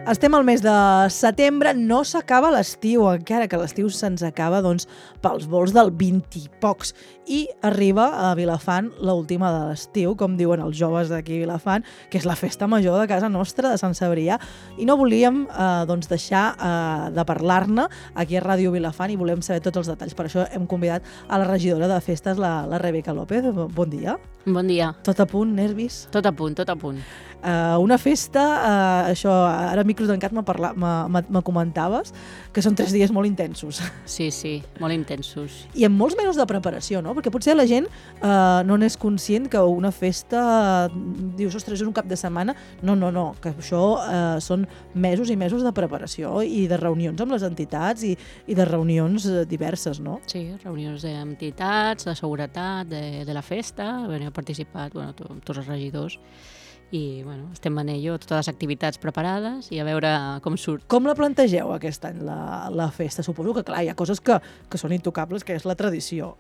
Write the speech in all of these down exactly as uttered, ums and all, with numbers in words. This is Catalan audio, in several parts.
Estem al mes de setembre, no s'acaba l'estiu, encara que l'estiu se'ns acaba doncs, pels vols del vint i pocs. I arriba a Vilafant l'última de l'estiu, com diuen els joves d'aquí a Vilafant, que és la festa major de casa nostra, de Sant Cebrià. I no volíem eh, doncs deixar eh, de parlar-ne aquí a Ràdio Vilafant i volem saber tots els detalls. Per això hem convidat a la regidora de festes, la, la Rebeca López. Bon dia. Bon dia. Tot a punt, nervis? Tot a punt, tot a punt. Uh, una festa, uh, això, ara micro tancat me comentaves, que són tres dies molt intensos. Sí, sí, molt intensos. I amb molts mesos de preparació, no? Perquè potser la gent uh, no n'és conscient que una festa, uh, dius, ostres, és un cap de setmana. No, no, no, que això uh, són mesos i mesos de preparació i de reunions amb les entitats i, i de reunions diverses, no? Sí, reunions d'entitats, de seguretat, de, de la festa, bueno, he participat, bueno, to, tots els regidors, i bueno, estem en ello, totes les activitats preparades i a veure com surt. Com la plantegeu aquest any, la, la festa? Suposo que, clar, hi ha coses que, que són intocables, que és la tradició.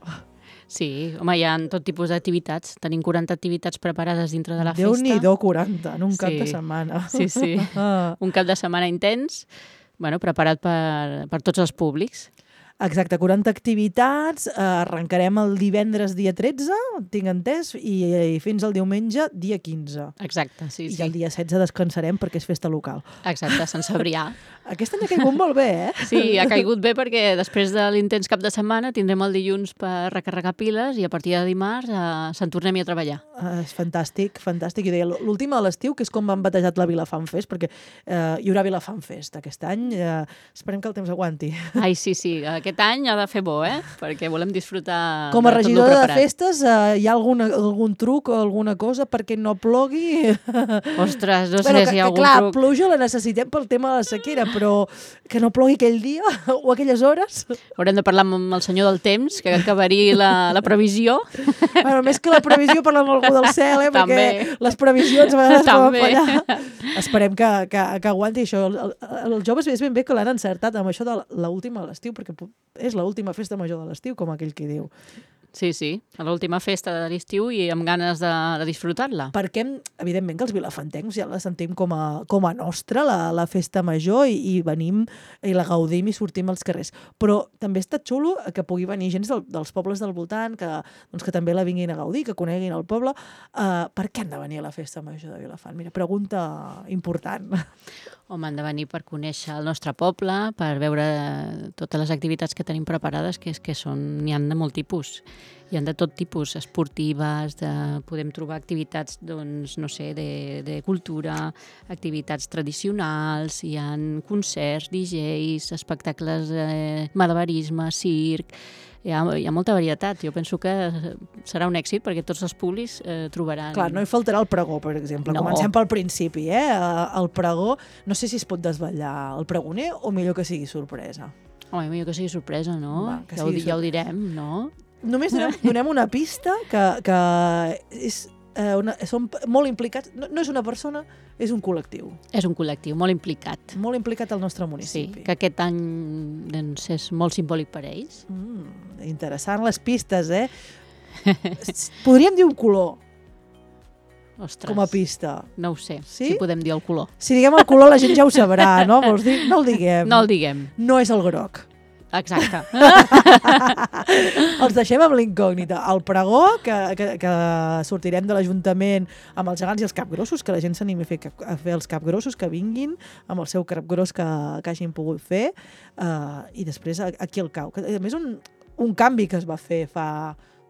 Sí, home, hi ha tot tipus d'activitats. Tenim quaranta activitats preparades dintre de la festa. Déu-n'hi-do, quaranta, en un sí. cap de setmana. Sí, sí, un cap de setmana intens, bueno, preparat per, per tots els públics. Exacte, quaranta activitats, eh, arrencarem el divendres dia tretze, tinc entès, i, i fins al diumenge dia quinze. Exacte, sí, I sí. el dia setze descansarem perquè és festa local. Exacte, Sant Cebrià. Aquest any ha caigut molt bé, eh? Sí, ha caigut bé perquè després de l'intens cap de setmana tindrem el dilluns per recarregar piles i a partir de dimarts eh, se'n tornem a treballar. Uh, és fantàstic, fantàstic. I deia, l'última de l'estiu, que és com han batejat la Vilafant Fest, perquè eh, hi haurà Vilafant Fest aquest any. Eh, esperem que el temps aguanti. Ai, sí, sí, aquest any ha de fer bo, eh? Perquè volem disfrutar com a de regidora de festes, eh, hi ha algun, algun truc o alguna cosa perquè no plogui? Ostres, no sé bueno, si hi que, ha algun clar, truc. Pluja la necessitem pel tema de la sequera, però que no plogui aquell dia o aquelles hores. Haurem de parlar amb el senyor del temps, que acabaria la, la previsió. Bueno, més que la previsió, parlar amb algú del cel, eh? També. Perquè les previsions a vegades També. poden fallar. Esperem que, que, que aguanti això. Els joves és ben bé que l'han encertat amb això de l'última de l'estiu, perquè és l'última festa major de l'estiu, com aquell que diu. Sí, sí, a l'última festa de l'estiu i amb ganes de, de disfrutar-la. Perquè, evidentment, que els vilafantencs ja la sentim com a, com a nostra, la, la festa major, i, i venim i la gaudim i sortim als carrers. Però també està xulo que pugui venir gent del, dels pobles del voltant, que, doncs, que també la vinguin a gaudir, que coneguin el poble. Uh, per què han de venir a la festa major de Vilafant? Mira, pregunta important. Home, han de venir per conèixer el nostre poble, per veure totes les activitats que tenim preparades, que és que són, n'hi ha de molt tipus. Hi ha de tot tipus, esportives, de, podem trobar activitats, doncs, no sé, de, de cultura, activitats tradicionals, hi ha concerts, D Js, espectacles, eh, malabarisme, circ, hi ha, hi ha molta varietat. Jo penso que serà un èxit perquè tots els públics eh, trobaran... Clar, no hi faltarà el pregó, per exemple. No. Comencem pel principi, eh? El pregó, no sé si es pot desvetllar el pregoner o millor que sigui sorpresa. Home, millor que sigui sorpresa, no? Va, que ja, ho, sigui ja ho direm, no? Només donem, donem una pista que, que és, eh, una, són molt implicats. No, no és una persona, és un col·lectiu. És un col·lectiu molt implicat. Molt implicat al nostre Sí, municipi. que aquest any doncs, és molt simbòlic per a ells. Mm, interessant les pistes, eh? Podríem dir un color Ostres, com a pista. no ho sé, Sí? si podem dir el color. Si diguem el color la gent ja ho sabrà, no? Vols dir? No el diguem. No el diguem. No és el groc. Exacte. Els deixem amb l'incògnita. El pregó, que, que, que sortirem de l'Ajuntament amb els gegants i els capgrossos, que la gent s'animi a fer, a fer els capgrossos, que vinguin amb el seu capgros que, que hagin pogut fer, uh, i després aquí al Cau. A més, un, un canvi que es va fer fa...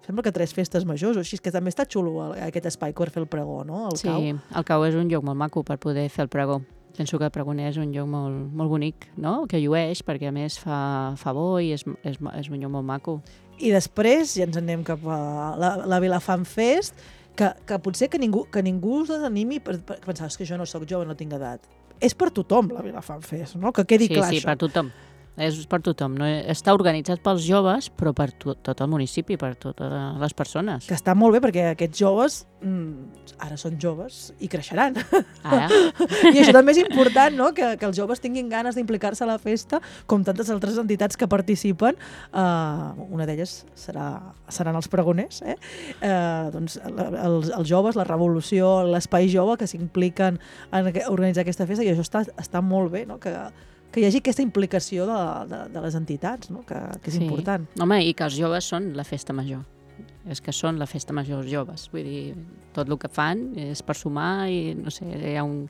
Sembla que tres festes majors o així, que també està xulo aquest espai per fer el pregó, no? El Sí, Cau. el Cau és un lloc molt maco per poder fer el pregó. Penso que el pregoner és un lloc molt, molt bonic, no? Que llueix, perquè a més fa, fa bo i és, és, és un lloc molt maco. I després ja ens anem cap a la, la Vilafant Fest, que, que potser que ningú, que ningú us desanimi per, per pensar que jo no sóc jove, no tinc edat. És per tothom la Vilafant Fest, no? Que quedi sí, clar sí, això. per tothom. és per tothom. No? Està organitzat pels joves, però per to tot el municipi, per totes les persones. Que està molt bé, perquè aquests joves mm, ara són joves i creixeran. Ara. I això també és important, no? que, que els joves tinguin ganes d'implicar-se a la festa, com tantes altres entitats que participen. Uh, una d'elles serà, seran els pregoners. Eh? Uh, doncs, els, els joves, la revolució, l'espai jove, que s'impliquen en organitzar aquesta festa, i això està, està molt bé, no? que que hi hagi aquesta implicació de, de, de les entitats, no? que, que és sí. important. Home, i que els joves són la festa major. És que són la festa major els joves. Vull dir, tot el que fan és per sumar i, no sé, hi ha un...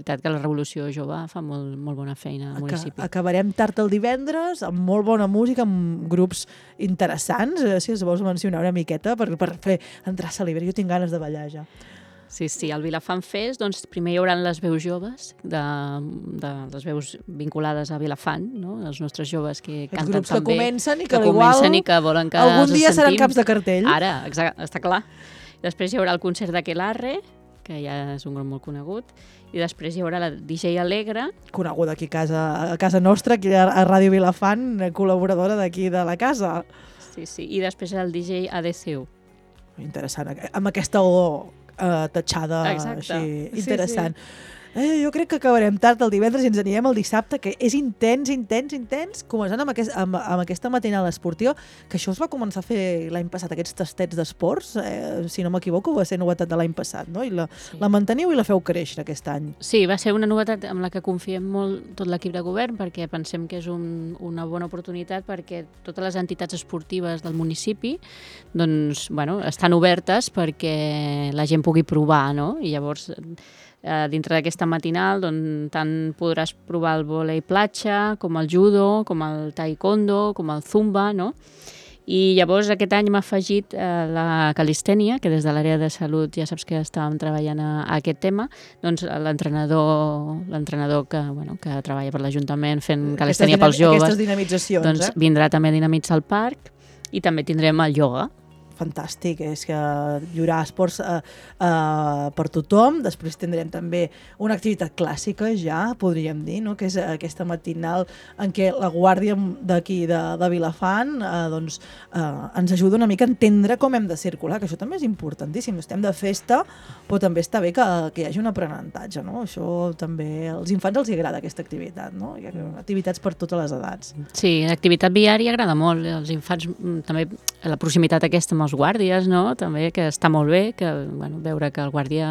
La veritat que la Revolució Jove fa molt, molt bona feina al municipi. Acabarem tard el divendres, amb molt bona música, amb grups interessants, eh, si es vols mencionar una miqueta, per, per fer entrar a celebrar. Jo tinc ganes de ballar ja. Sí, sí, al Vilafant Fest, doncs, primer hi haurà les veus joves, de, de les veus vinculades a Vilafant, no? Els nostres joves que Els canten grups també. que comencen i que, que igual comencen i que volen que algun dia sentim. seran caps de cartell. Ara, exacte, està clar. Després hi haurà el concert d'Aquelarre, que ja és un grup molt conegut, i després hi haurà la D J Alegre. Coneguda aquí a casa, a casa nostra, aquí a, a Ràdio Vilafant, col·laboradora d'aquí de la casa. Sí, sí, i després el D J A D C U. Interessant, amb aquesta o Uh, tatxada Exacte. així, interessant. Sí, sí. Eh, jo crec que acabarem tard el divendres i ens anirem el dissabte, que és intens, intens, intens, començant amb, aquest, amb, amb aquesta matinal esportiva, que això es va començar a fer l'any passat, aquests tastets d'esports, eh, si no m'equivoco, va ser novetat de l'any passat, no? I la, sí. la manteniu i la feu créixer aquest any. Sí, va ser una novetat amb la que confiem molt tot l'equip de govern, perquè pensem que és un, una bona oportunitat perquè totes les entitats esportives del municipi doncs, bueno, estan obertes perquè la gent pugui provar, no? I llavors... Uh, dintre d'aquesta matinal doncs, tant podràs provar el vòlei platja, com el judo, com el taekwondo, com el zumba, no? I llavors aquest any m'ha afegit uh, la calistènia, que des de l'àrea de salut ja saps que estàvem treballant a, a aquest tema, doncs l'entrenador l'entrenador que, bueno, que treballa per l'Ajuntament fent calistènia pels joves, aquestes dinamitzacions, doncs eh? vindrà també a dinamitzar el parc i també tindrem el ioga. Fantàstic, és que hi haurà esports uh, uh, per tothom. Després tindrem també una activitat clàssica, ja podríem dir, no? Que és aquesta matinal en què la guàrdia d'aquí de, de Vilafant uh, doncs, uh, ens ajuda una mica a entendre com hem de circular, que això també és importantíssim. Estem de festa, però també està bé que, que hi hagi un aprenentatge, no? Això també, als infants els agrada aquesta activitat, no? Hi ha activitats per totes les edats. Sí, l'activitat viària agrada molt. Els infants també, la proximitat aquesta amb els guàrdies, no? També, que està molt bé, que, bueno, veure que el guàrdia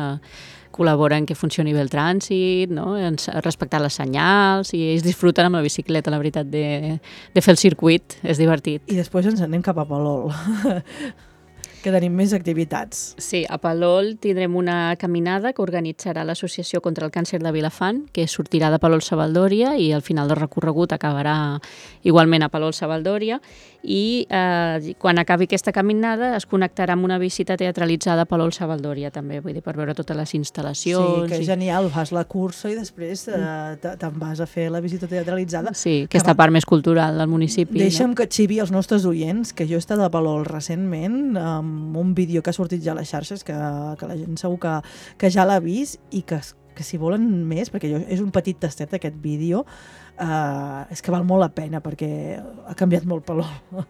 col·labora en que funcioni bé el trànsit, no? En respectar les senyals, i ells disfruten amb la bicicleta, la veritat, de, de fer el circuit, és divertit. I després ens anem cap a Palol, que tenim més activitats. Sí, a Palol tindrem una caminada que organitzarà l'Associació contra el Càncer de Vilafant, que sortirà de Palol-Savaldòria i al final del recorregut acabarà igualment a Palol-Savaldòria, i eh, quan acabi aquesta caminada es connectarà amb una visita teatralitzada a Palol-Savaldòria també, vull dir, per veure totes les instal·lacions. Sí, que és i... genial, fas la cursa i després eh, te'n vas a fer la visita teatralitzada. Sí, aquesta part més cultural del municipi. Deixa'm no? que xivi els nostres oients, que jo he estat a Palol recentment, amb un vídeo que ha sortit ja a les xarxes, que, que la gent segur que, que ja l'ha vist, i que, que si volen més, perquè jo, és un petit tastet aquest vídeo, Uh, és que val molt la pena perquè ha canviat molt Palol.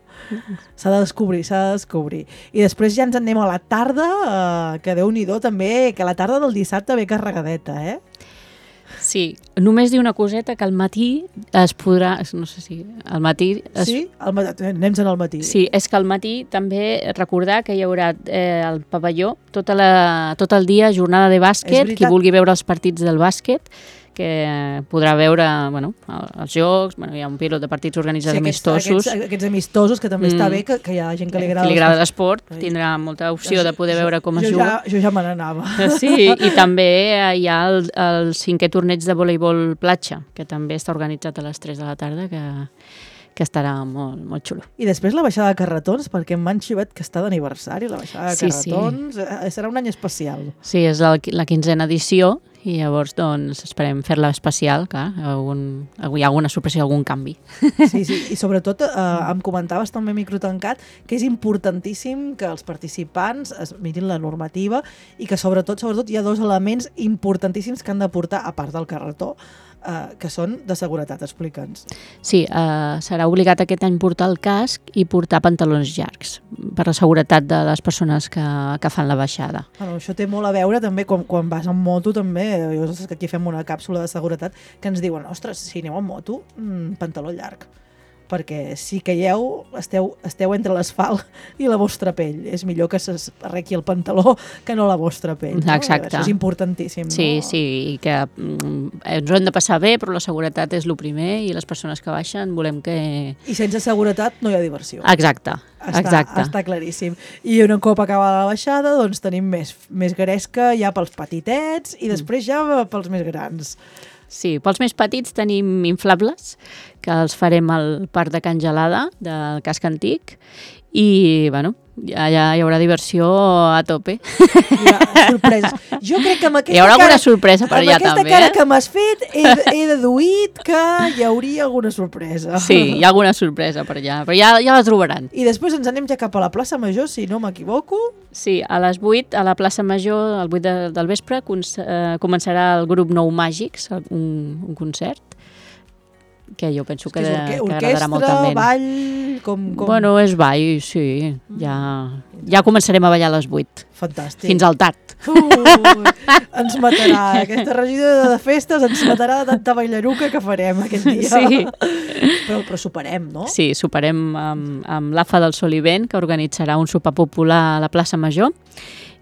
S'ha de descobrir, s'ha de descobrir. I després ja ens en anem a la tarda, uh, que Déu-n'hi-do també, que la tarda del dissabte ve carregadeta, eh? Sí, només dir una coseta, que al matí es podrà, no sé si al matí... Es... Sí? Al matí, anem-se'n al matí. Sí, és que al matí també recordar que hi haurà eh, al pavelló tota la, tot el dia jornada de bàsquet, qui vulgui veure els partits del bàsquet, que podrà veure, bueno, els jocs, bueno, hi ha un pilot de partits organitzats, sí, aquests, amistosos. Aquests, aquests amistosos, que també mm. està bé, que, que hi ha gent que li agrada, que li agrada l'esport, tindrà molta opció de poder veure com es jo juga. Ja, jo ja me n'anava. Sí, i també hi ha el, el cinquè torneig de voleibol platja, que també està organitzat a les tres de la tarda, que... que estarà molt, molt xulo. I després la baixada de carretons, perquè m'han xivat que està d'aniversari, la baixada de sí, carretons. Sí. Serà un any especial. Sí, és la, la quinzena edició, i llavors doncs, esperem fer-la especial, clar, algun, hi ha alguna sorpresa, algun canvi. Sí, sí, i sobretot eh, em comentaves també microtancat que és importantíssim que els participants es mirin la normativa i que sobretot, sobretot hi ha dos elements importantíssims que han de portar, a part del carretó, uh, que són de seguretat, explica'ns. Sí, uh, serà obligat aquest any portar el casc i portar pantalons llargs per la seguretat de les persones que, que fan la baixada. Bueno, això té molt a veure també quan, quan vas en moto també, jo sé que aquí fem una càpsula de seguretat que ens diuen, ostres, si aneu en moto, mmm, pantaló llarg. Perquè si caieu, esteu, esteu entre l'asfalt i la vostra pell. És millor que s'arrequi el pantaló que no la vostra pell. No? Exacte. Això és importantíssim. Sí, no? sí, i que mm, ens ho hem de passar bé, però la seguretat és el primer i les persones que baixen volem que... I sense seguretat no hi ha diversió. Exacte, està, exacte. Està claríssim. I un cop acaba la baixada, doncs tenim més, més gresca ja pels petitets i després ja pels més grans. Sí, pels més petits tenim inflables, que els farem al Parc de Can Gelada, del casc antic, i, bueno, ja, ja hi haurà diversió a tope. Hi ha sorpreses. Jo crec que amb aquesta hi haurà alguna cara, sorpresa per allà també. Amb aquesta cara eh? que m'has fet, he, he deduït que hi hauria alguna sorpresa. Sí, hi ha alguna sorpresa per allà, però ja, ja la trobaran. I després ens anem ja cap a la plaça Major, si no m'equivoco. Sí, a les vuit, a la plaça Major, al vuit de, del vespre, eh, començarà el grup Nou Màgics, un, un concert, que jo penso que, que, que agradarà molt també. Orquestra, ball, com, com... Bueno, és ball, sí. Ja, ja començarem a ballar a les vuit. Fantàstic. Fins al tard. Uh, ens matarà. Aquesta regidora de festes ens matarà de tanta ballaruca que farem aquest dia. Sí. Però, però superem, no? Sí, superem amb, amb l'A F A del Solivent, que organitzarà un sopar popular a la plaça Major.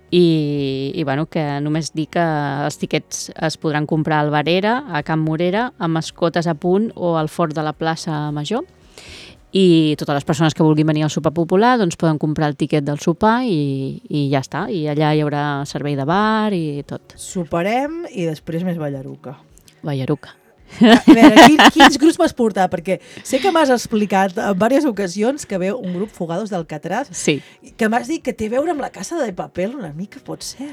I, i bueno, que només dic que els tiquets es podran comprar al Barera, a Can Morera, a Mascotes a Punt o al Fort de la plaça Major. I totes les persones que vulguin venir al sopar popular doncs poden comprar el tiquet del sopar i, i ja està. I allà hi haurà servei de bar i tot. Soparem i després més ballaruca. Ballaruca. A veure, quin, quins grups m'has portat? Perquè sé que m'has explicat en diverses ocasions que veu un grup Fugados d'Alcatraz, sí. que m'has dit que té a veure amb la Casa de Papel una mica, pot ser,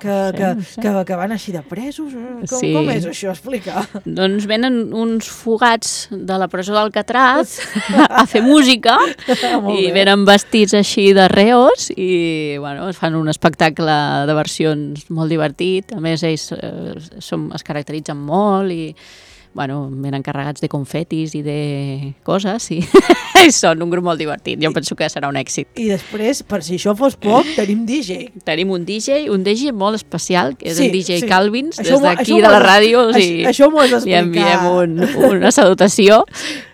que, no sé, que, no sé. que, que van així de presos. Com, sí. com és això? Explica. Doncs venen uns fugats de la presó d'Alcatraz a fer música i venen vestits així de reos i bueno, es fan un espectacle de versions molt divertit. A més, ells eh, som, es caracteritzen molt i bueno, venen carregats de confetis i de coses i, i són un grup molt divertit. Jo penso que serà un èxit. I després, per si això fos poc, tenim D J. Tenim un D J, un D J molt especial, que és sí, el D J sí. Calvins, això des d'aquí de la ràdio. O sigui, això això m'ho has li enviem un, una salutació,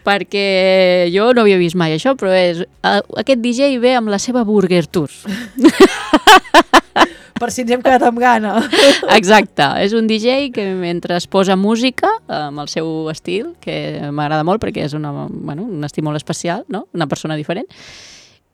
perquè jo no havia vist mai això, però és, aquest D J ve amb la seva Burger Tour. Per si ens hem quedat amb gana. Exacte, és un D J que mentre es posa música amb el seu estil, que m'agrada molt perquè és una, bueno, un estil molt especial, no? Una persona diferent,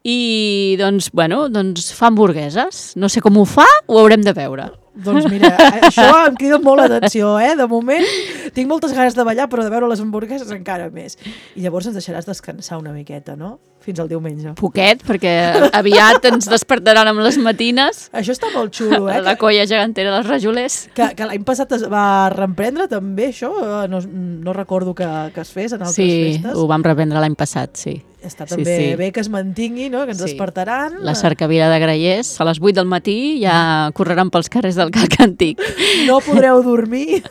i doncs, bueno, doncs fa hamburgueses. No sé com ho fa, ho haurem de veure. Doncs mira, això em crida molt l'atenció, eh? De moment tinc moltes ganes de ballar, però de veure les hamburgueses encara més. I llavors ens deixaràs descansar una miqueta, no? Fins al diumenge. Poquet, perquè aviat ens despertaran amb les matines. Això està molt xulo, eh? La colla gegantera dels rajolers. Que, que l'any passat es va reprendre també, això? No, no recordo que, que es fes en altres sí, festes. Sí, ho vam reprendre l'any passat, sí. Està també sí, sí. bé que es mantingui, no? Que ens sí. despertaran. La cercavila de Grallers, a les vuit del matí ja correran pels carrers del Calc Antic. No podreu dormir.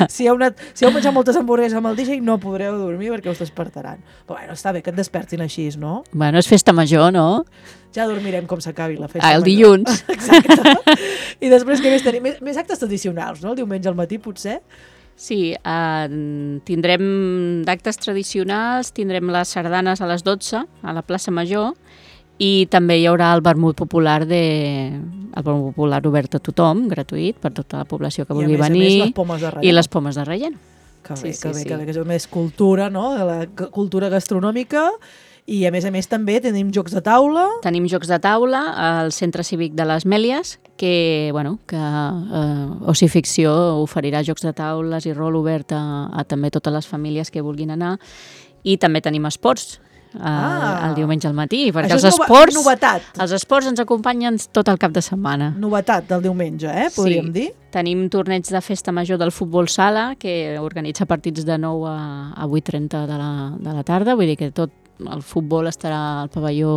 Si heu, anat, si heu menjat moltes hamburgueses amb el D J, no podreu dormir perquè us despertaran. Però bueno, està bé que et despertin així, no? Bueno, és festa major, no? Ja dormirem com s'acabi la festa ah, el major. dilluns. Exacte. I després què més tenim? Més, més actes tradicionals, no? El diumenge al matí, potser? Sí, eh, tindrem d'actes tradicionals, tindrem les sardanes a les dotze a la plaça Major i també hi haurà el vermut popular de... el vermut popular obert a tothom, gratuït, per tota la població que vulgui venir. I a més, a més les pomes de relleno. I les pomes de relleno. Que bé, sí, que sí, bé, sí. que bé, que és més cultura, no? La cultura gastronòmica. I a més a més també tenim jocs de taula. Tenim jocs de taula al Centre Cívic de les Mèlies, que, bueno, que eh, Oci Ficció oferirà jocs de taules i rol obert a, a també totes les famílies que vulguin anar. I també tenim esports eh, ah. el diumenge al matí, perquè Això els és esports, novetat. els esports ens acompanyen tot el cap de setmana. Novetat del diumenge, eh? Podríem sí. dir. Tenim torneig de festa major del futbol sala, que organitza partits de nou a, a vuit i trenta de la, de la tarda, vull dir que tot el futbol estarà al pavelló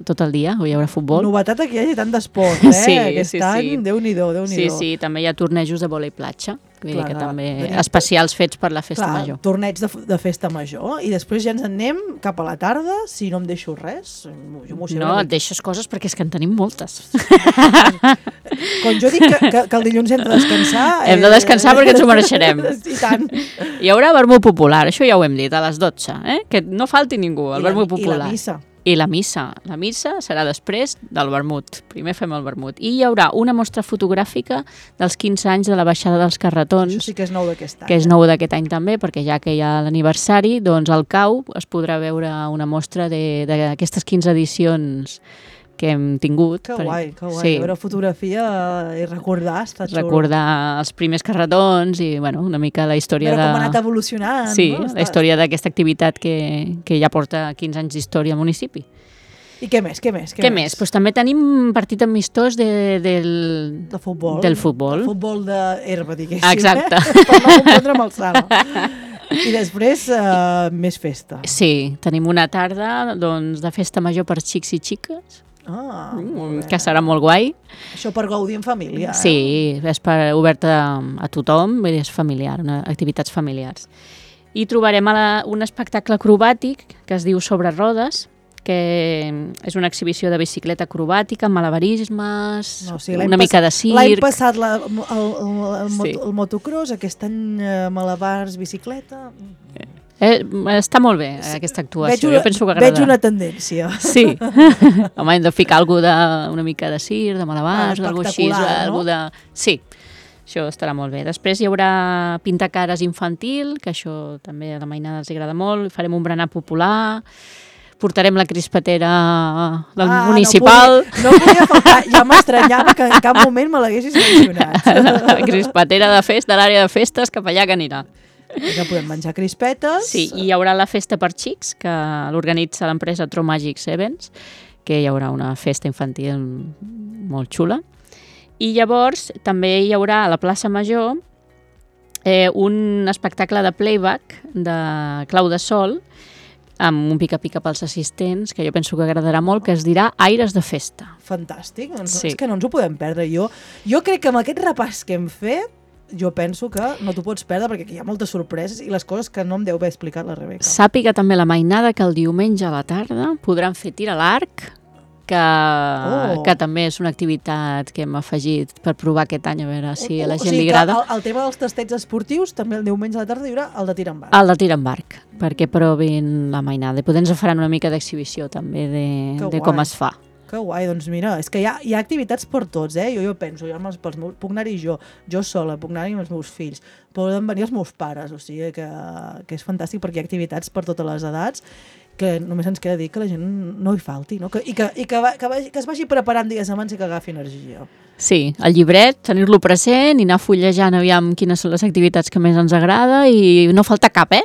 tot el dia, o hi haurà futbol. Novetat que hi hagi tant d'esport, eh? Sí, Aquest sí, any, sí. Déu-n'hi-do, Déu-n'hi-do. Sí, sí, també hi ha tornejos de vòlei platja. Vull dir Clar, que clar. també Tenim- especials fets per la festa Clar, major. torneig de, de festa major, i després ja ens en anem cap a la tarda, si no em deixo res. Jo m'ho sé No, una et deixes coses perquè és que en tenim moltes. Quan jo dic que, que, que el dilluns hem de descansar... Hem de descansar perquè ens ho mereixerem. I tant. Hi haurà vermut popular, això ja ho hem dit, a les dotze, eh? Que no falti ningú, el I la, vermut I popular. la missa. I la missa. La missa serà després del vermut. Primer fem el vermut. I hi haurà una mostra fotogràfica dels quinze anys de la baixada dels carretons, Això sí que és nou d'aquest any. que és nou d'aquest any també, perquè ja que hi ha l'aniversari, doncs al C A U es podrà veure una mostra de- d'aquestes quinze edicions que hem tingut. Que Per- guai, que guai. Sí, Veure fotografia i recordar, està xulo. recordar els primers carretons i bueno, una mica la història Veure de... com ha anat evolucionant. Sí, no? la història d'aquesta activitat que, que ja porta quinze anys d'història al municipi. I què més, què més? Què més? Pues també tenim partit amistós de, del, De futbol. del futbol. El futbol d'herba, diguéssim. Exacte. Eh? Per no confondre amb el sala. I després, uh, més festa. Sí, tenim una tarda doncs, de festa major per xics i xiques, Ah, mm, que serà molt guai. això per gaudir en família. Eh? Sí, és per, oberta a tothom, vull dir, és familiar, una, activitats familiars. I trobarem a la, un espectacle acrobàtic que es diu Sobre rodes, que és una exhibició de bicicleta acrobàtica, malabarismes, No, o sigui, l'any una mica de pas- L'any circ. passat la, el, el, el, Sí. moto, el motocross, aquest any eh, malabars, bicicleta... Eh, està molt bé, eh, aquesta actuació. una, Jo penso que veig agradarà. una tendència. Sí. Home, hem de ficar alguna de, una mica de circ, de malabars, Ah, alguna així. espectacular, Algú no? de... Sí, això estarà molt bé. Després hi haurà pintacares infantil, que això també a la mainada els agrada molt. Farem un berenar popular. Portarem la crispatera del Ah, municipal. No podia, no podia faltar. Ja m'estranyava que en cap moment me l'haguessis mencionat. La crispatera de festa, de l'àrea de festes, cap allà que anirà. Ja podem menjar crispetes. Sí, i hi haurà la festa per xics, que l'organitza l'empresa Tro Magics Events, que hi haurà una festa infantil molt xula. I llavors també hi haurà a la plaça Major eh, un espectacle de playback de Clau de Sol, amb un pica-pica pels assistents, que jo penso que agradarà molt, que es dirà Aires de Festa. Fantàstic, doncs Sí. és que no ens ho podem perdre. Jo, jo crec que amb aquest repàs que hem fet, jo penso que no t'ho pots perdre perquè aquí hi ha moltes sorpreses i les coses que no em deu haver explicat la Rebeca. Sàpiga també la mainada que el diumenge a la tarda podran fer tir a l'arc, que, Oh. que també és una activitat que hem afegit per provar aquest any, a veure si a la O gent sigui li que agrada. El, el tema dels tastets esportius, també el diumenge a la tarda hi haurà el de tir amb arc. El de tir amb arc, perquè provin la mainada. I potser ens faran una mica d'exhibició també de, Que de com guai. es fa. Que guai, doncs mira, és que hi ha, hi ha activitats per tots, eh? Jo, jo penso, jo amb els, pels meus, puc anar-hi jo, jo sola, puc anar-hi amb els meus fills, poden venir els meus pares, o sigui que, que és fantàstic perquè hi ha activitats per totes les edats, que només ens queda dir que la gent no hi falti, no? Que, i que, i que, va, que, vagi, que es vagi preparant dies abans i que agafi energia. Sí, el llibret, tenir-lo present i anar fullejant aviam quines són les activitats que més ens agrada i no falta cap, eh?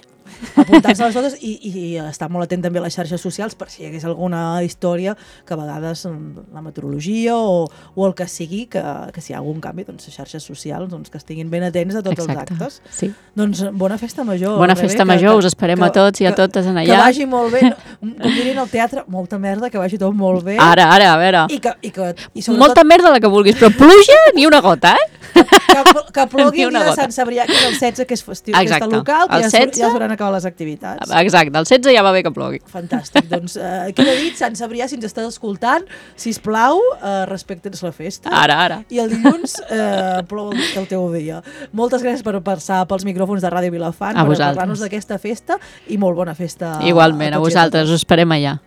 Apuntar-se a les totes i, i estar molt atent també a les xarxes socials per si hi hagués alguna història que a vegades mm, la meteorologia o, o el que sigui, que, que si hi ha algun canvi, doncs les xarxes socials doncs, que estiguin ben atents a tots Exacte. els actes. Sí. Doncs bona festa major. Bona Rebé, festa que- major, que- us esperem que- a tots i a que- totes en Que allà. vagi molt bé, com dirien al teatre, molta merda, que vagi tot molt bé. Ara, ara, a veure. I que, i que, i Molta merda la que vulguis, però pluja ni una gota, eh? que, que plogui Ni el una dia de gota. Sant Cebrià, que és el setze, que és festiu, Exacte. festa local, que El ja, setze? ja s'hauran acabat les activitats. Exacte, el setze ja va bé que plogui. Fantàstic, doncs eh, queda dit, Sant Cebrià, si ens estàs escoltant, sisplau, eh, respecta'ns la festa. Ara, ara. I el dilluns eh, plou el, el teu dia. Moltes gràcies per passar pels micròfons de Ràdio Vilafant, A per vosaltres. parlar-nos d'aquesta festa i molt bona festa Igualment, a tots i vosaltres, totes. us esperem allà.